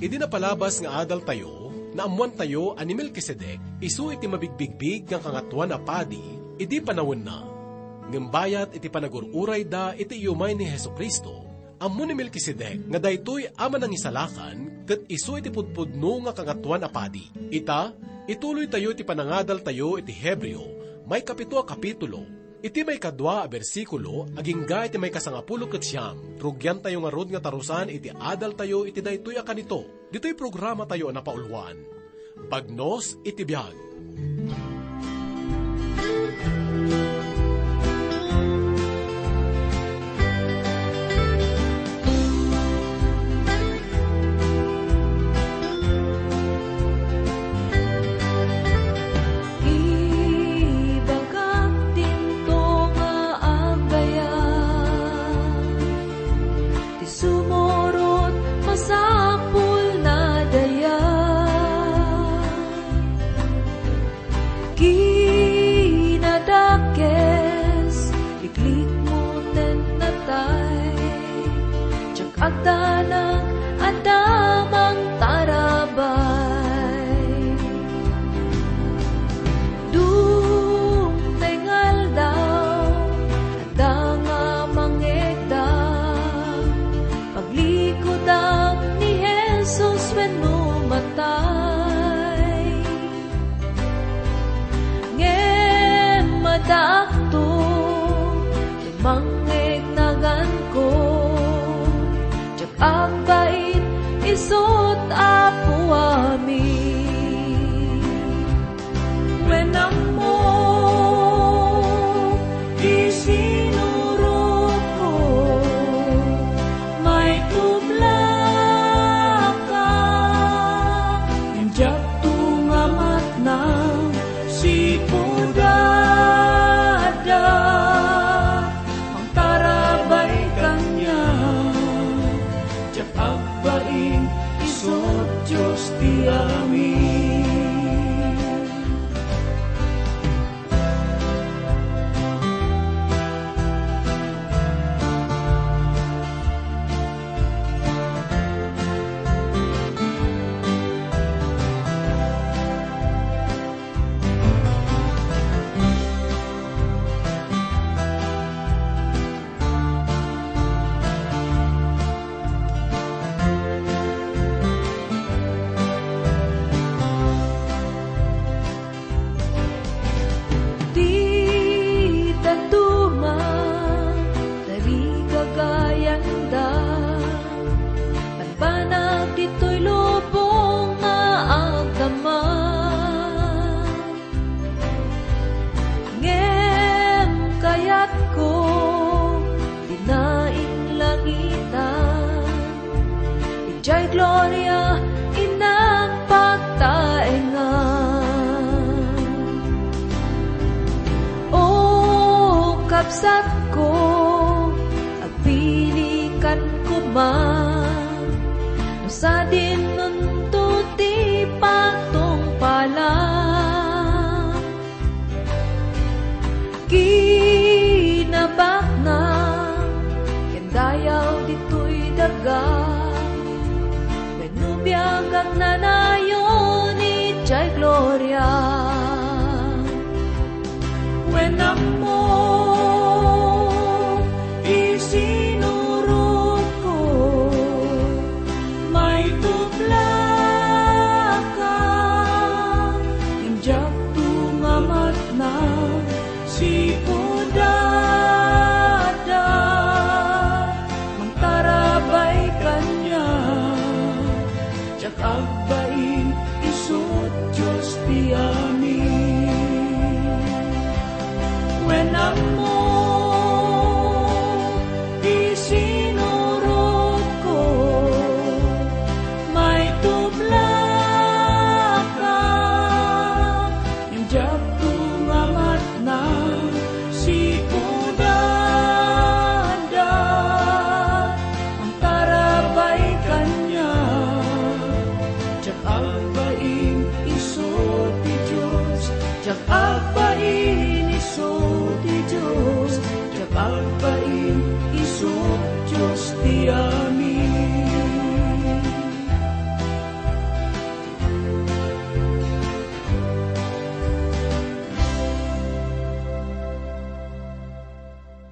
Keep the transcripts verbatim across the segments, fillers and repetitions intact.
Idi napalabas nga adaltayo, naammoantayo a ni Melkisedek isu iti mabigbigbig nga Kangatoan a Padi idi panawenna. Ngem bayat iti panagur-urayda iti iumay ni Jesu-Cristo, ammo ni Melkisedek nga daytoy a Manangisalakan ket isu iti pudpudno nga Kangatoan a Padi. Ita, ituloytayo ti panangadaltayo iti Hebreo, maikapito a kapitulo, iti maikadua a bersikulo agingga iti maikasangapulo ket siam. Rugiantayo ngarud nga tarusan iti adaltayo iti daytoy a kanito, ditoy programatayo a napauluan, Bagnos iti Biag. Ibagak dinto nga agayam, ti sumurot masapulna dayag. Kinadakes, liklikmo ten natay, diak agdanag adda mangtarabay. Dumteng aldaw, adda nga mangngegda, paglikudak ni Jesus wenno matay. Ngem addaakto, mangngegnaganko, diak agbait isut' Apo amin. Wen ammo, isinurotko, maitublaka, ngem diak tunga matnang sipud adda mangtarabay kaniak. Diak agbain, isut' Dios ti amin. Ti dadduma, tarigagayanda, banbanag ditoy lubong nga agdama. Ngem kayatko, dina inlangitan, idiay gloria innak pagtaengan. O kabsatko, agpilikan koma, no sadinonto ti patungpalan. Kinabakna ken dayaw ditoy daga, wenno biag agnanayon idiay gloria. Wen ammo, isinurotko, maitublaka, ngem diak tunga matnang sipud adda mangtarabay kaniak. Diak agbain, isut' Dios ti amin. Wen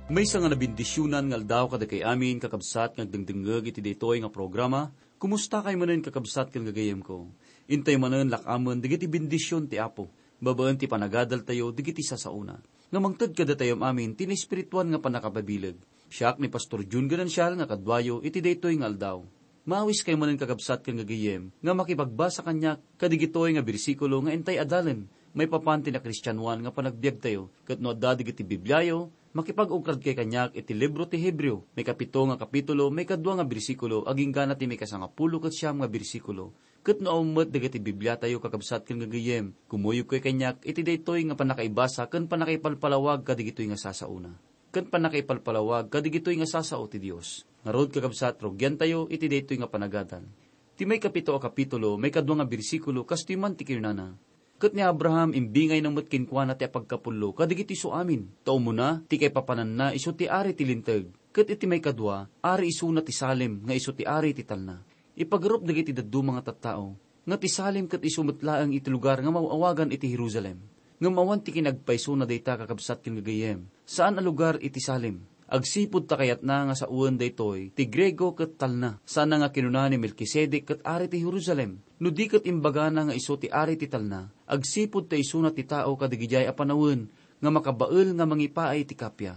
Maysa nga nabendisionan nga aldaw kadakay amin, kakabsat, nga agdengdengngeg iti daytoy nga programa. Kumusta kay manen, kakabsat ken gagayemko? Intay manen lakamen dagiti bendision ti Apo babaen ti panagadaltayo dagiti sasaona. Nga mangted kadatayo amin ti naespirituan nga pannakababileg. Siak ni Pastor Jun Ganancial nga kaduayo iti daytoy nga aldaw. Maawis kay manen, kakabsat ken gagayem, nga makipagbasa kaniak kadigitoy nga bersikulo nga intay adalen maipapan ti nakristianoan nga panagbiagtayo. Ket no adda dagiti Bibliayo, makipag-ukrad kay kaniak iti libro ti Hebreo, maikapito nga kapitulo, maikadua nga bersikulo, agingga na ti maikasangapulo ket siam nga bersikulo. Ket no awan met dagiti Bibliatayo, kakabsat ken gagayem, kumuyog kay kaniak iti daytoy nga pannakaibasa ken pannakaipalpalawag kadigitoy nga sasaona. Ken pannakaipalpalawag kadigitoy nga sasao ti Dios. Ngarud, kakabsat, rugiantayo iti daytoy nga panagadal. Ti maikapito a kapitulo, maikadua nga bersikulo, kastoy man ti kinunana, "Ket ni Abraham imbingayna met kenkuana ti apagkapullo kadigiti isu amin, ta umuna ti kaipapananna isu ti ari ti linteg, ket iti maikadua, ari isuna ti Salem nga isu ti ari ti talna." Ipagarup dagiti dadduma nga tattao nga ti Salem ket isu met laeng iti lugar nga maw-awagan iti Jerusalem. Ngem awan ti kinagpaysona dayta, kakabsat ken gagayem. Saan a lugar iti Salem. Agsipud ta kayatna nga sawen daytoy ti Griego ket talna. Saan a nga kinuna ni Melkisedek ket ari ti Jerusalem. No di ket imbagana nga isu ti ari ti talna, agsipud ta isuna ti tao kadagidiay a panawen nga makabael nga mangipaay iti kappia.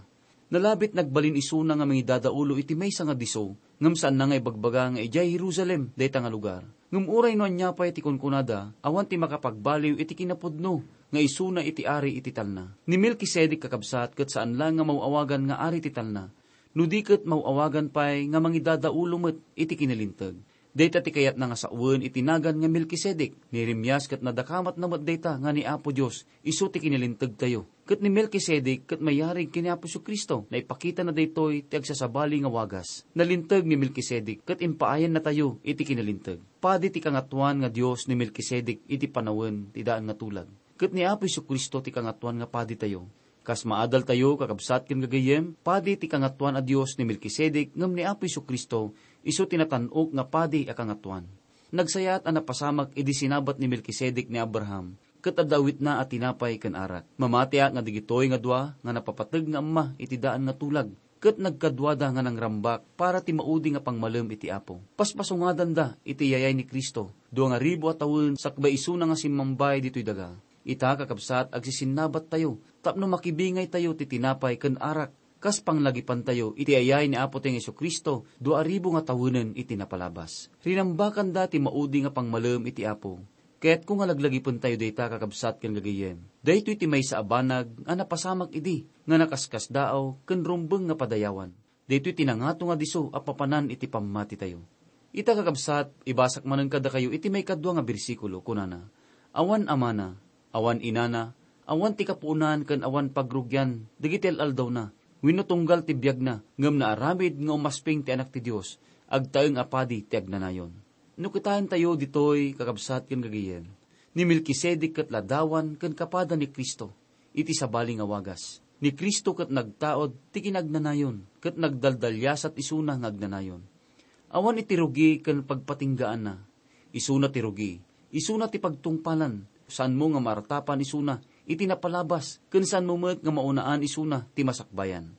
Nalabit nagbalin isuna nga mangidadaulo iti maysa nga disso, ngem saanna nga ibagbaga nga idiay Jerusalem dayta nga lugar. Ngem uray no ania pay ti kunkunada, awan ti makapagbaliw iti kinapudno nga isuna iti ari iti talna. Ni Melkisedek, kakabsat, ket saan laeng nga maw-awagan nga ari ti talna, no di ket maw-awagan pay nga mangidadaulo met iti kinalinteg. Dayta ti kayatna nga sawen iti nagan nga Melkisedek. Ni Jeremias ket nadakamatna met dayta nga ni Apo Dios isu ti kinalintegtayo. Ket ni Melkisedek ket mayarig ken ni Apo Jesu-Cristo. Naipakitana daytoy ti agsasabali nga wagas. Nalinteg ni Melkisedek ket impaayannatayo iti kinalinteg. Padi ti Kangatoan nga Dios ni Melkisedek iti panawen ti daan nga tulag. Ket ni Apo Jesu-Cristo ti Kangatoan nga Paditayo. Kas maadaltayo, kakabsat ken gagayyem, padi ti Kangatoan a Dios ni Melkisedek ngem ni Apo Jesu-Cristo isu ti natan-ok nga padi a kangatoan. Nagsayaat a napasamak idi sinabat ni Melkisedek ni Abraham, ket adda awitna a tinapay ken arak. Mamatiak nga dagitoy nga dua nga napapateg nga amma iti daan nga tulag, ket nagkaduada nga nangrambak para ti maudi nga pangmalem iti Apo. Paspasungadanda iti iyayay ni Cristo, dua nga ribu a tawen sakbay isuna nga simmambay ditoy daga. Ita, kakabsat, agsisinnabattayo tapno makibingaytayo ti tinapay ken arak, kas panglagipantayo iti ayay ni Apo tayo nga Jesu-Cristo, dua a ribu nga tawenen iti napalabas. Rinambakanda ti maudi nga pangmalem iti Apo. Kayatko nga laglagipentayo dayta, kakabsat ken gagayyem. Daytoy ti maysa a banag a napasamak idi nga nakaskasdaaw ken rumbeng nga padayawan. Daytoy ti nangato nga disso a papanan iti pammatitayo. Ita, kakabsat, ibasak manen kadakayo iti maikadua nga bersikulo. Kunana, "Awan amana, awan inana, awan ti kapuonan ken awan pagrugian dagiti al-aldawna wenno tunggal ti biagna, ngem naaramid nga umasping ti Anak ti Dios, agtaeng a padi ti agnanayon." No kitaentayo ditoy, kakabsat ken gagayyem, ni Melkisedek ket ladawan ken kapada ni Cristo iti sabali nga wagas. Ni Cristo ket nagtaud ti kinagnanayon ket nagdaldaliasat isuna nga agnanayon. Awan iti rugi ken pagpatinggaanna. Isuna ti rugi, isuna ti pagtungpalan. Saanmo nga maratapan isuna iti napalabas, ken saanmo met nga maunaan isuna ti masakbayan.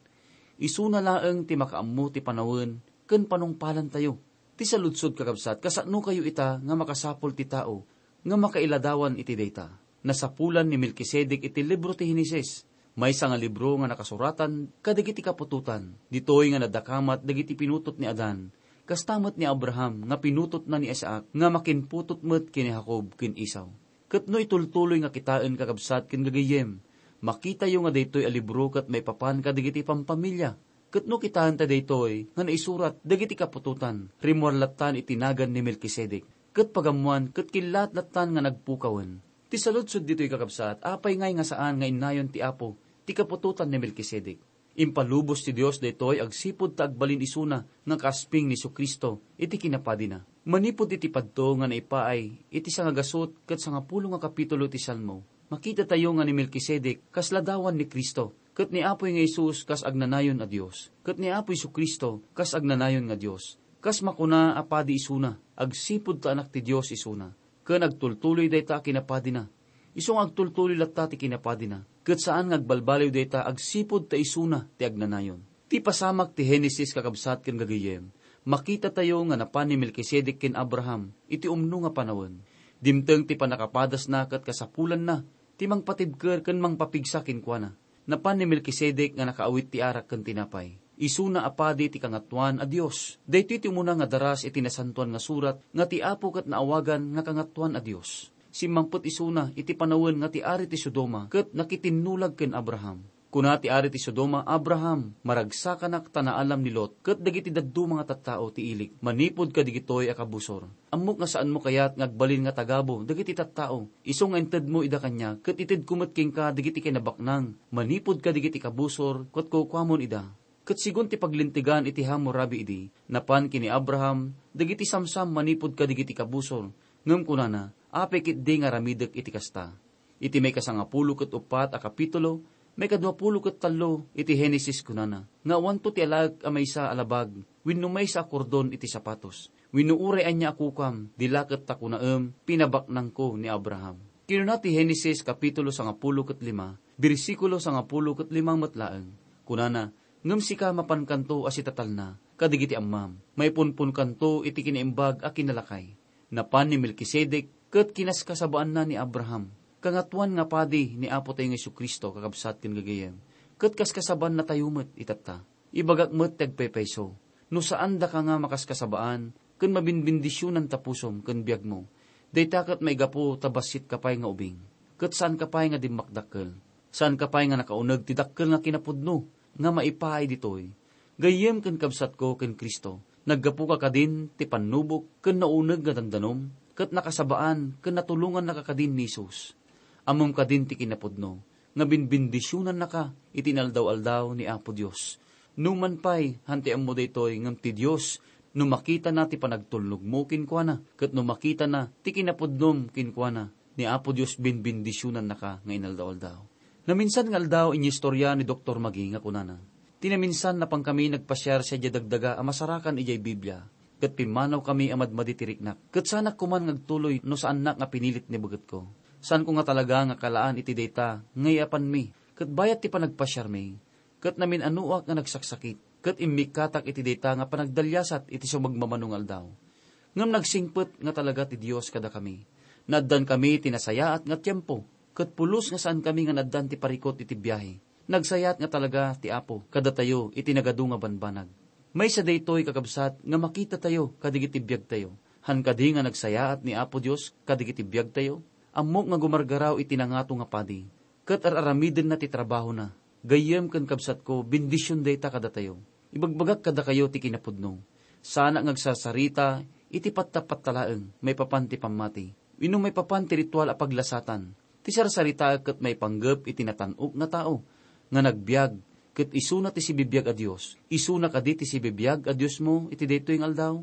Isuna laeng ti makaammo ti panawen ken panungpalantayo. Ti saludsod, kakabsat, kasanokayo ita nga makasapul ti tao nga makailadawan iti dayta? Nasapulan ni Melkisedek iti libro ti Genesis, maysa nga libro nga nakasuratan kadagiti kaputotan. Ditoy nga nadakamat dagiti pinutot ni Adan, kasta met ni Abraham nga pinutotna ni Isaac nga makinputot met ken ni Jacob ken Esau. Ket no itultuloy nga kitaen, kakabsat ken gagayyem, makitayo nga daytoy a libro ket maipapan kadagiti pampamilya. Ket no kitaenta daytoy nga naisurat dagiti kaputotan, rimmuar lattan iti nagan ni Melkisedek, ket pagammoan ket killaat lattan nga nagpukawen. Ti saludsod ditoy, kakabsat, apay ngay nga saan nga innayon ti Apo ti kaputotan ni Melkisedek? Impalubos ti Dios daytoy agsipud ta agbalin isuna nga kaasping ni Jesu-Cristo iti kinapadina. Manipud iti padto nga naipaay iti sangagasut ket sangapulo nga kapitulo ti Salmo, makitatayo nga ni Melkisedek kas ladawan ni Cristo, ket ni Apoy nga Jesus kas agnanayon a Dios, ket ni Apo Jesu-Cristo kas agnanayon nga Dios. Kas makuna a padi isuna, agsipud ta Anak ti Dios isuna, ken agtultuloy dayta a kinapadina. Isu nga agtultuloy latta ti kinapadina, ket saan nga agbalbaliw dayta agsipud ta isuna ti agnanayon. Ti pasamak ti Henesis, kakabsat ken gagayyem, makitatayo nga napan ni Melkisedek ken Abraham iti umno nga panawen. Dimteng ti pannakapadasna ket kasapulanna ti mangpatibker ken mangpapigsa kenkuana. Napan ni Melkisedek nga nakaawit ti arak ken tinapay. Isuna a padi ti Kangatuan a Dios. Daytoy ti umuna nga daras iti Nasantoan nga Surat nga ti Apo ket naawagan nga Kangatuan a Dios. Simmangpet isuna iti panawen nga ti ari ti Sodoma ket nakitinnulag ken Abraham. Kuna ti ari ti Sodoma, "Abraham, maragsakanak ta naalam ni Lot ket dagiti dadduma nga tattao ti ilik manipud kadigitoy a kabusor. Ammok nga saanmo kayat nga agbalin nga tagabu dagiti tattao, isu nga intedmo ida kaniak, ket itedko met kenka dagiti kinabaknang manipud kadigiti kabusor ket kukuamon ida." Ket segun ti paglintegan iti Hammurabi idi, napan ken ni Abraham dagiti samsam manipud kadigiti kabusor, ngem kunana, "Apay ketdi nga aramidek iti kasta?" Iti maikasangapulo ket uppat a kapitulo, maikaduapulo ket tallo iti Henesis, kunana nga awanto ti alaek a maysa a labag wenno maysa a kordon iti sapatos, wenno uray ania a kukam, di la ket ta kunaem, "Pinabaknangko ni Abraham." Kinuna ti Henesis kapitulo sangapulo ket lima, bersikulo sangapulo ket lima met laeng. Kunana, "Ngem sika, mapankanto a sitatalna kadigiti ammam, maipunponkanto iti kinaimbag a kinalakay." Napan ni Melkisedek ket kinaskasabaanna ni Abraham. Kangatoan nga padi ni Apotayo nga Jesu-Cristo, kakabsat ken gagayyem, ket kaskasabaannatayo met itatta. Ibagak met ti agpaypayso, no saan daka nga makaskasabaan ken mabinbindisionan ta pusom ken biagmo, dayta ket maigapu ta bassitka pay nga ubing, ket saanka pay nga dimmakdakkel. Saanka pay nga nakauneg ti dakkel nga kinapudno nga maipaay ditoy. Gayyem ken kabsatko ken Cristo, naggapuka kadin ti pannubok ken nauneg nga dandanom, ket nakasabaan ken natulongannaka kadin ni Jesus. Ammom kadin ti kinapudno nga binbindisionannaka iti inaldaw-aldaw ni Apo Dios. Numan pay, han ti ammo daytoy, ngem ti Dios, no makitana ti panagtulnogmo kenkuana, ket no makitana ti kinapudnom kenkuana, ni Apo Dios binbindisionannaka nga inaldaw-aldaw. Naminsan nga aldaw, inyistorya ni Doktor Magee nga kunana, "Ti naminsan, napankami nagpasiar sadiay dagdaga a masarakan idiay Biblia, ket pimmanawkami a madmadi ti riknak. Ket saanak koman nga agtuloy no saannak nga pinilit ni begetko. Saanko nga talaga nga kalaan iti dayta nga yaapanmi, ket bayat ti panagpasiarmi, ket namin-anoak nga nagsaksakit, ket immikkatak iti dayta nga panagdaliasat iti sumagmamano nga aldaw. Ngem nagsingpet nga talaga ti Dios kadakami. Naaddankami ti nasayaat nga tiempo, ket pulos nga saankami nga naaddan ti parikut iti biahe. Nagsayaat nga talaga ti Apo kadatayo iti nagadu nga banbanag." Maysa daytoy, kakabsat, nga makitatayo kadigiti biagtayo. Han kadi nga nagsayaat ni Apo Dios kadigiti biagtayo? Ammok nga gumargaraw iti nangato nga padi, ket ar-aramidenna ti trabahona. Gayyem ken kabsatko, bendision dayta kadatayo. Ibagbagak kadakayo ti kinapudno. Saanak nga agsarsarita iti pattapatta laeng maipapan ti pammati, wenno maipapan ti ritual a paglasatan. Ti sarsaritaek ket maipanggep iti natan-ok nga tao nga nagbiag, ket isuna ti sibibiag a Dios. Isuna kadi ti sibibiag a Diosmo iti daytoy nga aldaw?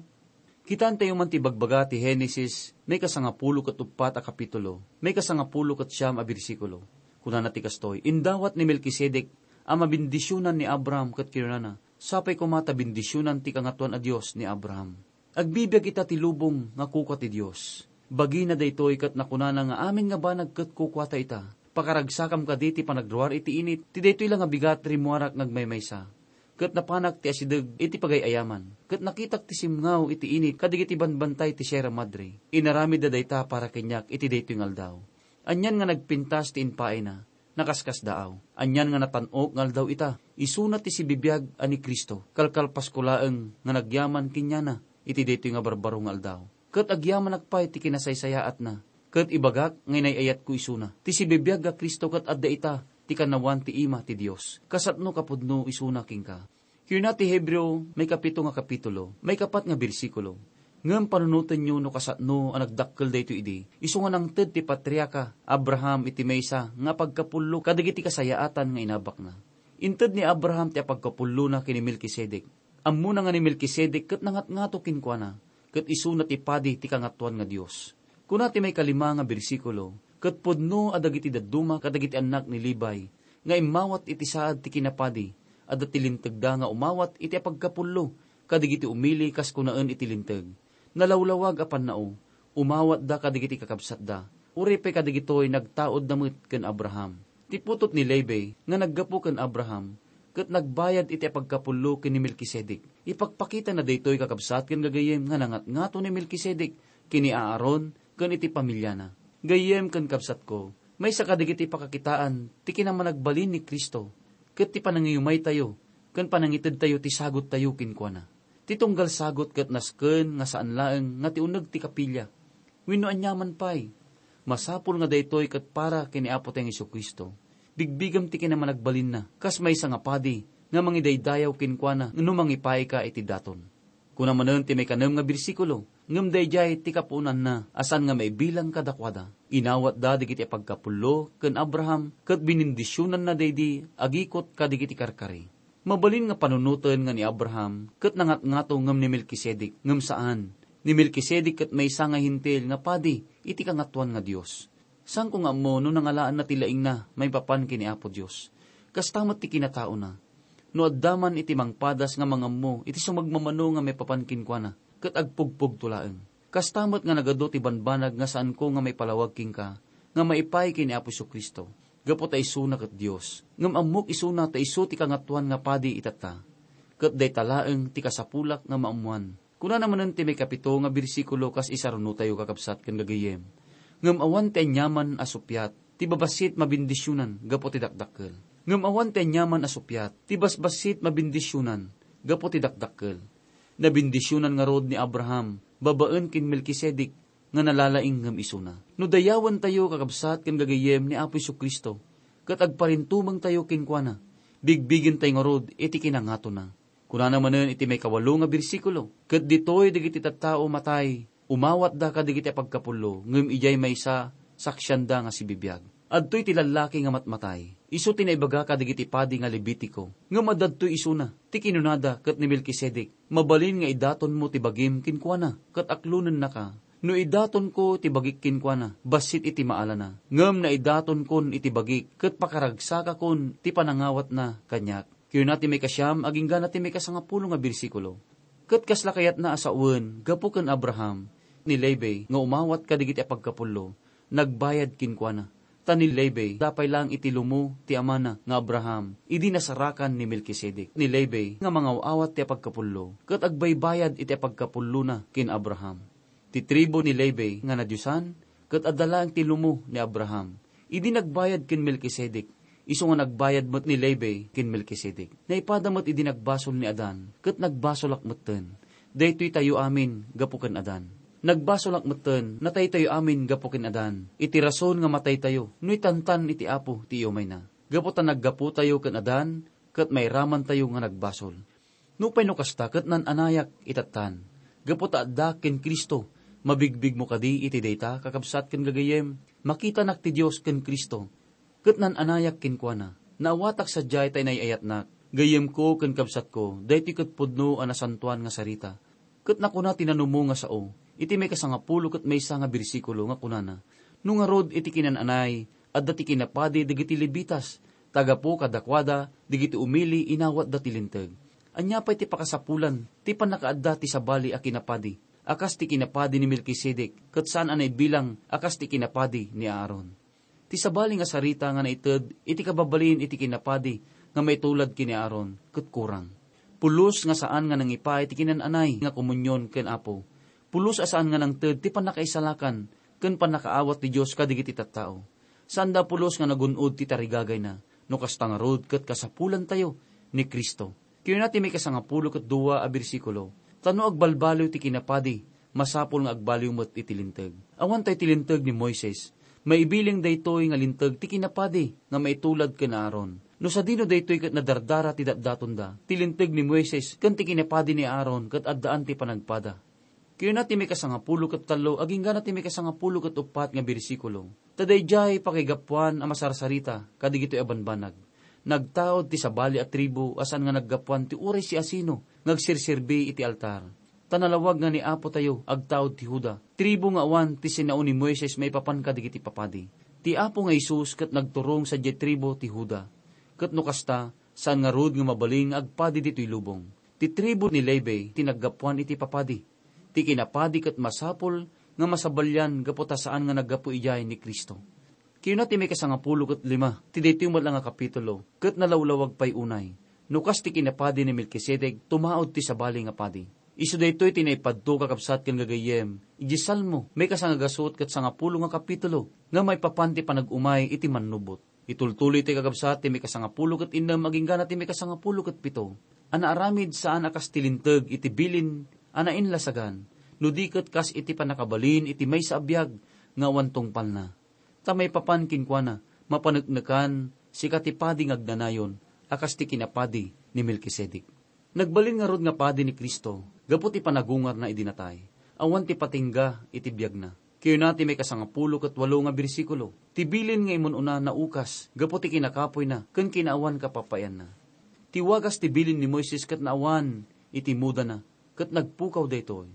Kitaentayo man ti ibagbaga ti Henesis, maikasangapulo ket uppat a kapitulo, maikasangapulo ket siam a bersikulo. Kunana ti kastoy, "Indawat ni Melkisedek a mabendisionan ni Abraham ket kinunana, 'Sapay koma ta bendisionan ti Kangatoan a Dios ni Abraham.'" Agbibiag ita ti lubong nga kukua ti Dios. Bagina daytoy ket nakunana nga amin nga banag ket kukuata ita. Pakaragsakam kadi ti panagruar iti init, ti daytoy la nga bigat rimmuarak nga agmaymaysa. Ket napanak ti asideg iti pagay-ayaman, ket nakitak ti simngaw iti init kadagiti banbantay ti Sierra Madre. Inaramidda dayta para kaniak iti daytoy nga aldaw. Anian nga nagpintas ti impaayna, nakaskasdaaw. Anian nga natan-ok nga aldaw ita, isuna ti sibibiag a ni Cristo. Kalkalpasko laeng nga nagyaman kaniana iti daytoy nga barbaro nga aldaw. Ket agyamanak pay ti kinasaysayaatna, ket ibagak nga inay-ayatko isuna. Ti sibibiag a Cristo ket adda ita ti kanawan ti ima ti Dios. Kasatno kapudno isuna kenka. Kuna ti Hebreo, maikapito nga kapitulo, maikapat nga bersikulo, "Ngem panunotenyo no kasatno a nagdakkel daytoy idi, isu nga nangted ti patriarka Abraham iti maysa nga apagkapullo kadagiti kasayaatan nga inabakna." Inted ni Abraham ti apagkapullona ken ni Melkisedek. Ammona nga ni Melkisedek ket nangatngato kenkuana, ket isuna ti padi ti Kangatoan nga Dios. Kuna ti maikalima nga bersikulo, "Ket pudno a dagiti dadduma kadagiti annak ni Levi nga immawat iti saad ti kinapadi, adda ti lintegda nga umawat iti apagkapullo kadagiti umili kas kunaen iti Linteg. Nalawlawag a pannao, umawatda kadagiti kakabsatda, Uray pay kadagitoy, nagtaudda met ken Abraham. Ti putot ni Levi nga naggapu ken Abraham ket nagbayad iti apagkapullo ken ni Melkisedek. Ipakpakitana daytoy, kakabsat ken gagayyem, nga nangatngato ni Melkisedek ken ni Aaron ken iti pamiliana. Gayyem ken kabsatko, maysa kadagiti pakakitaan ti kinamanagbalin ni Cristo ket ti panangiyumaytayo ken panangitedtayo ti sagottayo kenkuana. Ti tunggal sagot ket nasken nga saan laeng nga ti uneg ti kapilia wenno aniaman pay. Masapul nga daytoy ket para ken ni Apotayo Jesu-Cristo. Bigbigam ti kinamanagbalinna kas maysa nga padi nga mangidaydayaw kenkuana no mangipaayka iti daton. Kuna manen ti maikanem nga bersikulo, ngem daydiay ti kapuonanna a saan nga maibilang kadakuada. Inawatda dagiti apagkapullo ken Abraham ket binindisionanna daydi agikot kadagiti karkari. Mabalin nga panunoten nga ni Abraham ket nangatngato ngem ni Melkisedek, ngem saan. Ni Melkisedek ket maysa nga Hentil nga padi iti Kangatoan nga Dios. Saanko nga ammo no nangalaanna ti laingna maipapan ken ni Apo Dios. Kasta met ti kinataona. No adda man iti mangpadas nga mangammo iti sumagmamano nga maipapan kenkuana, ket agpugpugto laeng. Kasta met nga nagadu ti banbanag nga saanko nga maipalawag kenka nga maipaay ken ni Apo Jesu-Cristo, gapu ta isuna ket Dios. Ngem ammok isuna ta isu ti Kangatoan nga Padi itatta. Ket dayta laeng ti kasapulak nga maammoan. Kunana manen ti maikapito nga bersikulo kas isarunotayo, kakabsat ken gagayyem, "Ngem awan ti aniaman a suppiat ti babassit mabendisionan gapu ti dakdakkel. Ngem awan ti aniaman a suppiat ti basbassit mabendisionan gapu ti dakdakkel." Nabendisionan ngarud ni Abraham babaen ken Melkisedek nga nalalaing ngem isuna. No dayawentayo, kakabsat ken gagayyem, ni Apo Jesu-Cristo ket agparintumengtayo kenkuana, bigbigentayo ngarud iti kinangatona. Kunana manen iti maikawalo nga bersikulo, "Ket ditoy dagiti tattao matay, umawatda kadagiti apagkapullo, ngem idiay maysa, saksianda nga sibibiag." Adtoy ti lallaki nga matmatay. Isu ti naibaga kadagiti padi nga Levitico. Ngem adda ditoy isuna, ti kinunada ket ni Melkisedek, "Mabalin nga idatonmo ti bagim kenkuana, ket aklonennaka." No idatonko ti bagik kenkuana, bassit iti maalana. Ngem naidatonkon iti bagik, ket pakaragsakakon ti panangawatna kaniak. Kinuna ti maikasiam agingga na ti maikasangapulo nga bersikulo, "Ket kasla kayatna a sawen gapu ken Abraham ni Levi nga umawat kadagiti apagkapullo, nagbayad kenkuana. Ta ni Levi, da pay laeng iti lumo ti amana nga Abraham, idi nasarakan ni Melkisedek. Ni Levi nga mangaw-awat ti apagkapullo, ket agbaybayad iti apagkapullona ken Abraham." Ti tribu ni Levi nga nadiosan, ket adda laeng ti lumo ni Abraham. Idi nagbayad ken Melkisedek, isu nga nagbayad met ni Levi ken Melkisedek. Naipada met idi nagbasol ni Adan, ket nagbasolak metten. Daytoytayo amin gapu ken Adan. Nagbasolak metten, nataytayo amin gapu ken Adan. Iti rason nga mataytayo, no itantan iti Apo ti iyumayna. Gapu ta naggaputayo ken Adan, ket mairamantayo nga nagbasol. Nupay no kasta, ket naan-anayak itattan. Gapu ta addaak ken Cristo, mabigbigmo kadi iti dayta, kakabsat ken gagayyem? Makitanak ti Dios ken Cristo, ket naan-anayak kenkuana. Naawatak sadiay ta inay-ayatnak. Gayyemko ken kabsatko, daytoy ket pudno a nasantoan nga sarita. Ket nakuna ti nanumo nga sao, iti maikasangapulo ket maysa nga bersikulo nga kunana, "No ngarud iti kinan-anay, adda ti kinapadi dagiti Levitas, ta gapu kadakuada, dagiti umili inawatda ti Linteg. Ania pay ti pakasapulan ti pannakaadda ti sabali a kinapadi, a kas ti kinapadi ni Melkisedek, ket saan a naibilang a kas ti kinapadi ni Aaron?" Ti sabali nga sarita nga naited iti kababalin iti kinapadi nga maitulad ken ni Aaron ket kurang. Pulos nga saan nga nangipaay ti kinan-anay nga komunion ken Apo. Pulos a saan nga nangted ti pannakaisalakan ken pannakaawat ti Dios kadagiti tattao. Saanda pulos nga nagun-od ti tarigagayna, no kasta ngarud ket kasapulantayo ni Cristo. Kinuna ti maikasangapulo ket dua a bersikulo, "Ta no agbalbaliw ti kinapadi, masapul nga agbaliw met iti Linteg." Awan tay ti Linteg ni Moises. Maibiling daytoy nga Linteg ti kinapadi nga maitulad ken Aaron. No sadino daytoy ket nadardara ti datdatonda, ti Linteg ni Moises ken ti kinapadi ni Aaron ket addaan ti panagpada. Kinuna ti maikasangapulo ket tallo agingga na ti maikasangapulo ket uppat nga bersikulo, "Ta daydiay pakaigapuan a masarsarita kadigitoy a banbanag. Nagtaud ti sabali a tribu a saan nga naggapuan ti uray siasino nga agserserbi iti altar. Ta nalawag nga ni Apotayo agtaud ti Juda, tribu nga awan ti sinao ni Moises maipapan kadigiti papadi. Ti Apo nga Jesus ket nagturong sadiay tribu ti Juda. Ket no kasta, saan ngarud nga mabalin nga agpadi ditoy lubong. Ti tribu ni Levi ti naggapuan iti papadi. Ti kinapadi ket masapul nga masabalian gapu ta saan nga naggapu idiay ni Cristo. Kayuna ti maikasangapulo ket lima ti daytoy met la nga kapitulo, ket nalawlawag pay unay. No kas ti kinapadi ni Melkisedek, tumaud ti sabali nga padi. Isu daytoy ti naipadto, kakabsat ken gagayyem, idiay Salmo, maikasangagasut ket sangapulo nga kapitulo, nga maipapan ti panag-umay iti mannubot. Itultuloy ti kakabsat ti maikasangapulo ket innem agingga na ti maikasangapulo ket pito, a naaramid saan a kas ti linteg iti bilin a nainlasagan, no di ket kas iti pannakabalin iti maysa a biag nga awan tungpalna. Ta maipapan kenkuana, mapaneknekan, sika ti padi nga agnanayon, a kas ti kinapadi ni Melkisedek. Nagbalin ngarud nga padi ni Cristo gapu ti panagungarna idi natay, awan ti patingga iti biagna. Kayuna ti maikasangapulo ket walo nga bersikulo, ti bilin nga imun-una naukas gapu ti kinakapoyna ken kinaawan kapapayanna. Ti wagas ti bilin ni Moises ket naawan iti mudana, ket nagpukaw daytoy.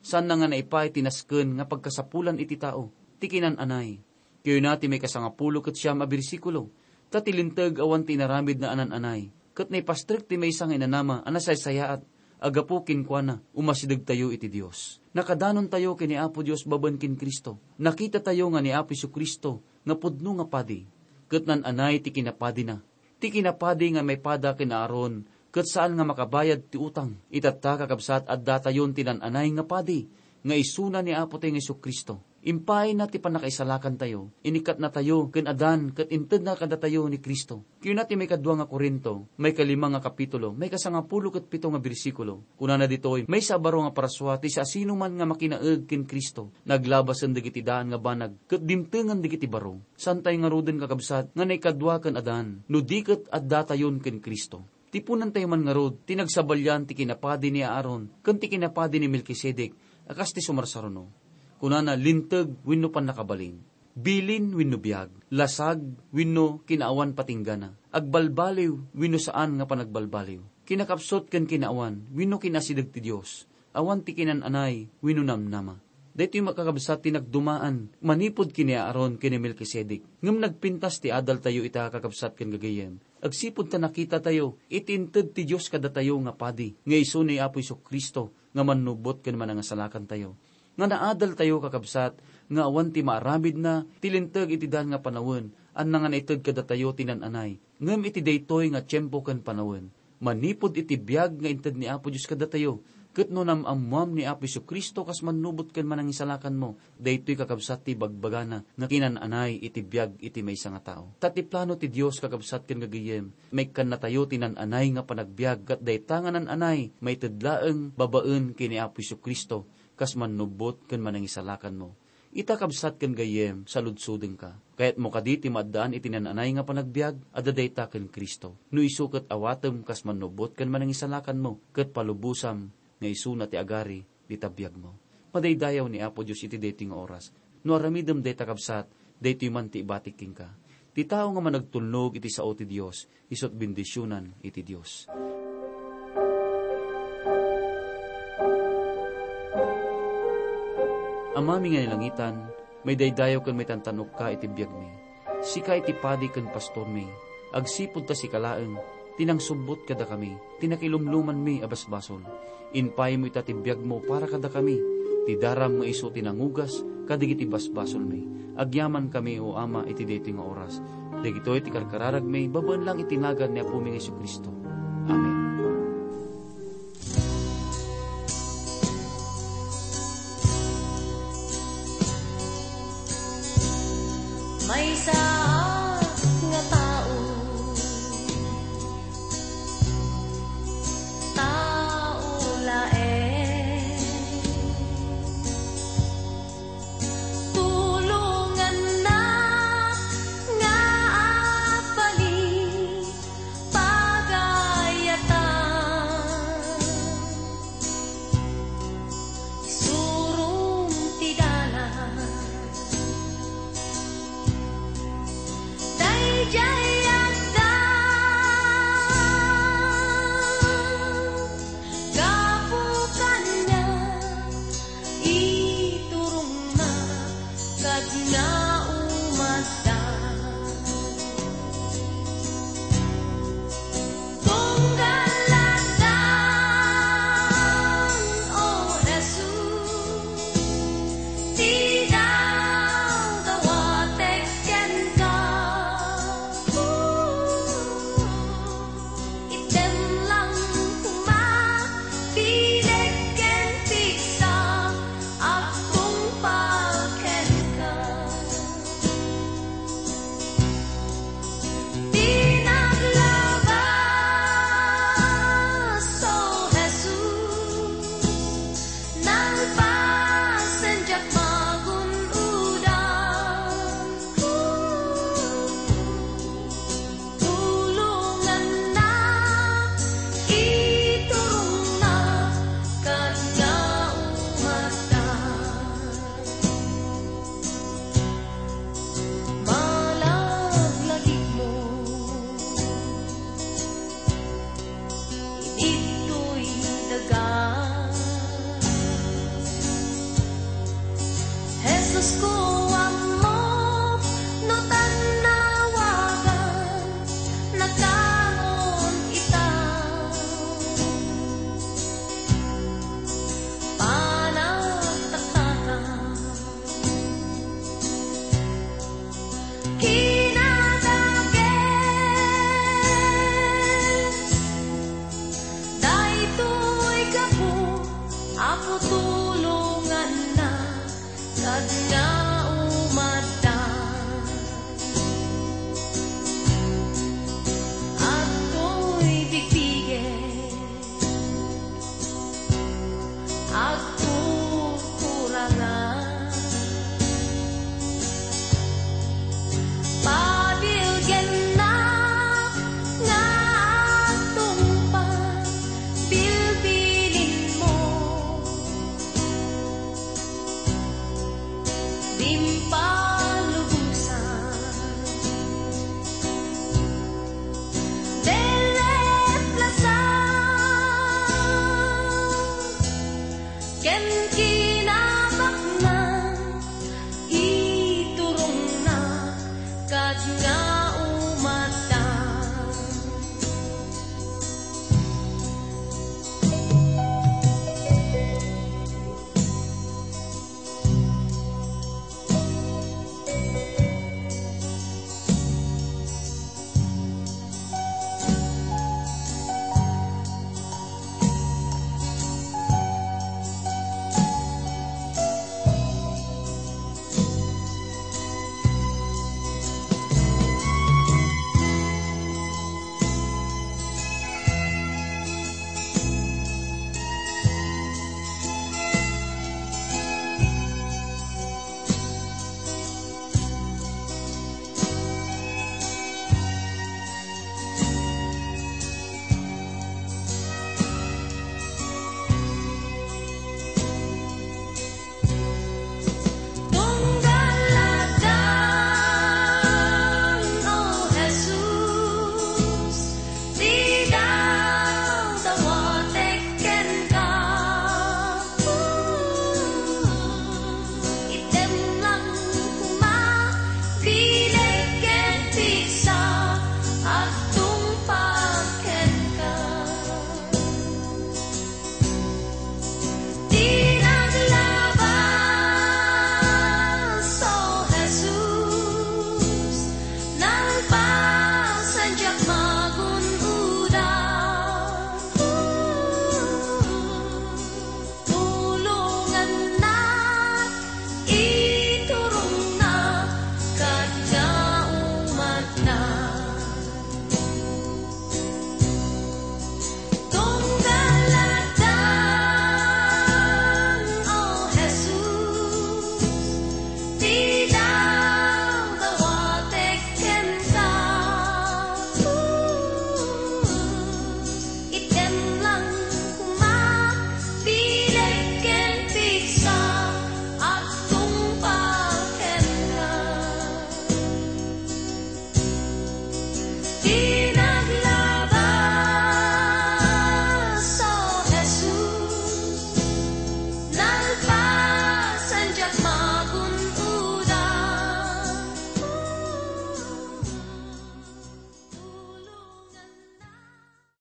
Saanna nga naipaay ti nasken nga pagkasapulan iti tao, ti kinan-anay. Kayuna ti maikasangapulo ket siam a bersikulo, ta ti linteg awan ti inaramidna a nan-anay, ket naipastrek ti maysa nga inanama a nasaysayaat a gapu kenkuana, umasidegtayo iti Dios. Nakadanontayo ken ni Apo Dios babaen ken Cristo. Nakitatayo nga ni Apo Jesu-Cristo nga pudno nga padi, ket nan-anay ti kinapadina. Ti kinapadi nga maipada ken Aaron ket saan nga makabayad ti utang. Itatta, kakabsat, addatayon ti nan-anay nga padi, nga isuna ni Apotayo nga Jesu-Cristo. Impaayna ti pannakaisalakantayo, inikkatnatayo ken adan ket intedna kadatayo ni Cristo. Kayuna ti maikadua nga Corinto, maikalima nga kapitulo, maikasangapulo ket pito nga bersikulo. Kunana ditoy, maysa a baro nga parasua ti siasinoman nga makinaeg ken Cristo. Naglabasen dagiti daan nga banag ket dimtengen dagiti baro. Saantayo ngaruden, kakabsat, nga naikadua ken adan, no di ket addatayon ken Cristo. Tipunentayo man ngarud ti nagsabalian ti kinapadi ni Aaron ken ti kinapadi ni Melkisedek a kas ti sumarsaruno. Kunana, linteg wenno pannakabalin, bilin wenno biag, lasag wenno kinaawan patinggana, agbalbaliw wenno saan nga panagbalbaliw, kinakapsut ken kinaawan wenno kinasideg ti Dios, awan ti kinan-anay wenno namnama. Daytoy, kakabsat, ti nagdumaan manipud ken ni Aaron ken ni Melkisedek. Ngem nagpintas ti adaltayo ita, kakabsat ken gagayyem, agsipud ta nakitatayo iti inted ti Dios kadatayo nga padi, nga isu ni Apo Jesu-Cristo nga mannubot ken manangisalakantayo. Nga naadaltayo, kakabsat, nga awan ti maaramidna ti linteg iti daan nga panawen, anna nga naited kadatayo ti nan-anay. Ngem iti daytoy nga tiempo ken panawen, manipud iti biag nga inted ni Apo Dios kadatayo, ket no nam-ammoam ni Apo Jesu-Cristo kas mannubot ken manangisalakanmo, daytoy, kakabsat, ti ibagbagana nga kinan-anay iti biag iti maysa nga tao. Ta ti plano ti Dios, kakabsat ken gagayyem, maikkannatayo ti nan-anay nga panagbiag, ket dayta nga nan-anay maited laeng babaen ken ni Apo Jesu-Cristo kas mannubot ken manangisalakanmo. Ita, kabsat ken gayyem, saludsodengka. Kayatmo kadi ti maaddaan iti nan-anay nga panagbiag? Adda dayta ken Cristo. No isu ket awatem kas mannubot ken manangisalakanmo, ket palubosam nga isuna ti agari dita biagmo. Madaydayaw ni Apo Dios iti daytoy nga oras. No aramidem dayta, kabsat, daytoy man ti ibatik kenka. Ti tao nga managtulnog iti sao ti Dios, isu't bendisionan iti Dios. Amami nga ni langitan, maidaydayaw ken maitantan-okka iti biagmi. Sika iti padi ken pastormi, agsipud ta sika laeng ti nangsubbot kadakami, ti nakilumlumanmi a basbasol. Impaymo ita ti biagmo para kadakami, ti daram nga isu ti nangugas kadagiti basbasolmi. Agyamankami, O Ama, iti daytoy nga oras. Dagitoy ti karkararagmi babaen lang iti nagan ni Apomi nga Jesu-Cristo. Amen. Maysa nga tao, tao laeng. Tulonganna nga abali, pagayatan. Tulonganna, sadna